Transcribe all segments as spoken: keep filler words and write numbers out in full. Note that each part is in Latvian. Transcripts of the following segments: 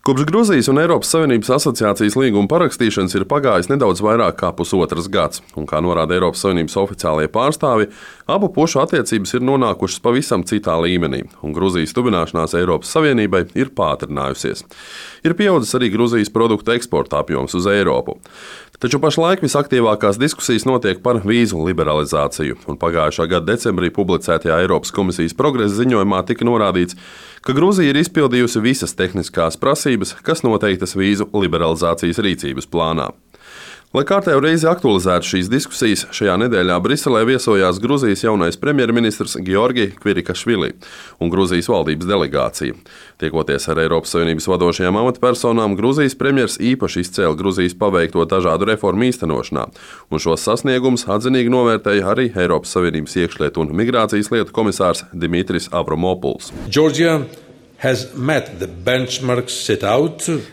Kopš Gruzijas un Eiropas Savienības asociācijas līguma parakstīšanas ir pagājis nedaudz vairāk kā pusotrs gads, un, kā norāda Eiropas Savienības oficiālie pārstāvji, abu pušu attiecības ir nonākušas pavisam citā līmenī, un Gruzijas tuvināšanās Eiropas Savienībai ir pātrinājusies. Ir pieaudzis arī Gruzijas produktu eksporta apjoms uz Eiropu. Taču pašlaik visaktīvākās diskusijas notiek par vīzu liberalizāciju, un pagājušā gada decembrī publicētajā Eiropas komisijas progresa ziņojumā tika norādīts, ka Gruzija ir izpildījusi visas tehniskās prasības, kas noteiktas vīzu liberalizācijas rīcības plānā. Lai kārtējo reizi aktualizētu šīs diskusijas, šajā nedēļā Briselē viesojās Gruzijas jaunais premjerministrs Georgi Kvirikašvili un Gruzijas valdības delegācija. Tiekoties ar Eiropas Savienības vadošajām amatpersonām, Gruzijas premjers īpaši izcēla Gruzijas paveikto dažādu reformu īstenošanā, un šos sasniegumus atzinīgi novērtēja arī Eiropas Savienības iekšlietu un migrācijas lietu komisārs Dimitris Avramopuls. Georgia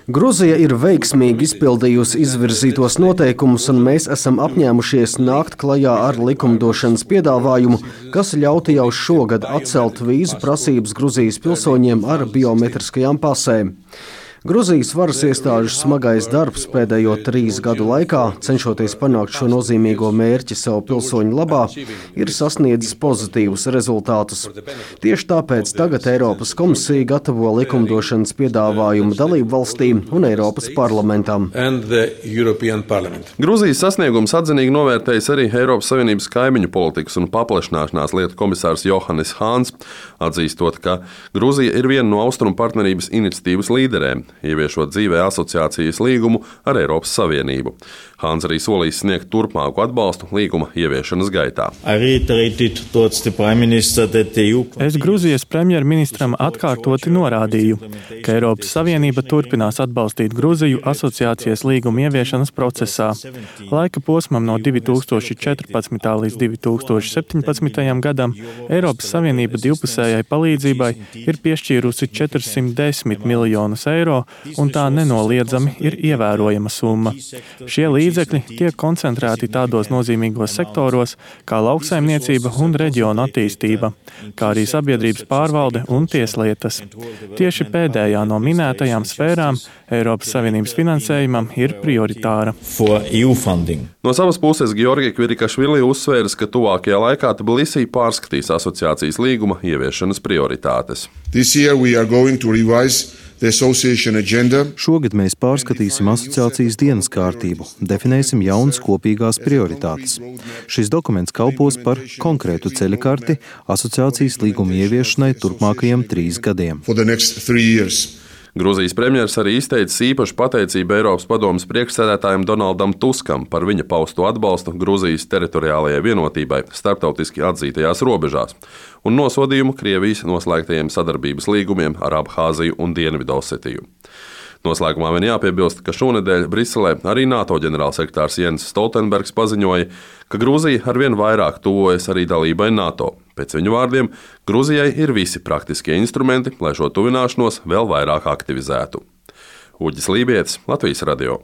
Gruzija ir veiksmīgi izpildījusi izvirzītos noteikumus, un mēs esam apņēmušies nākt klajā ar likumdošanas piedāvājumu, kas ļautu jau šogad atcelt vīzu prasības Gruzijas pilsoņiem ar biometriskajām pasēm. Gruzijas varas iestāžu smagais darbs pēdējo trīs gadu laikā, cenšoties panākt šo nozīmīgo mērķi savu pilsoņu labā, ir sasniedzis pozitīvus rezultātus. Tieši tāpēc tagad Eiropas komisija gatavo likumdošanas piedāvājumu dalību valstīm un Eiropas parlamentam. Gruzijas sasniegums atzinīgi novērtējis arī Eiropas Savienības kaimiņu politikas un paplašināšanās lietu komisārs Johannes Hāns, atzīstot, ka Gruzija ir viena no Austrumu partnerības iniciatīvas līderēm, ieviešot dzīvē asociācijas līgumu ar Eiropas Savienību. Hāns arī solīs sniegt turpmāku atbalstu līguma ieviešanas gaitā. Es Gruzijas premjerministram atkārtoti norādīju, ka Eiropas Savienība turpinās atbalstīt Gruziju asociācijas līguma ieviešanas procesā. Laika posmam no divi tūkstoši četrpadsmitā līdz divi tūkstoši septiņpadsmitajam gadam Eiropas Savienība divpusējai palīdzībai ir piešķīrusi četrsimt desmit miljonus eiro, un tā nenoliedzami ir ievērojama summa. Šie līdzekļi tiek koncentrēti tādos nozīmīgos sektoros kā lauksaimniecība un reģiona attīstība, kā arī sabiedrības pārvalde un tieslietas. Tieši pēdējā no minētajām sfērām Eiropas Savienības finansējumam ir prioritāra. No savas puses Georgi Kvirikašvili uzsvēras, ka tuvākajā laikā Tbilisī pārskatīs asociācijas līguma ieviešanas prioritātes. Šogad mēs pārskatīsim asociācijas dienas kārtību, definēsim jaunas kopīgās prioritātes. Šis dokuments kalpos par konkrētu ceļakarti asociācijas līguma ieviešanai turpmākajiem trīs gadiem. Gruzijas premjers arī izteicis īpašu pateicību Eiropas padomes priekšsēdētājam Donaldam Tuskam par viņa pausto atbalstu Gruzijas teritoriālajai vienotībai starptautiski atzītajās robežās un nosodījumu Krievijas noslēgtajiem sadarbības līgumiem ar Abhāziju un Dienvidosetiju. Noslēgumā vien jāpiebilst, ka šonedēļ Briselē arī NATO ģenerālsekretārs Jens Stoltenbergs paziņoja, ka Gruzija arvien vairāk tuvojas arī dalībai NATO. Pēc viņu vārdiem, Gruzijai ir visi praktiskie instrumenti, lai šo tuvināšanos vēl vairāk aktivizētu. Uģis Lībietis, Latvijas radio.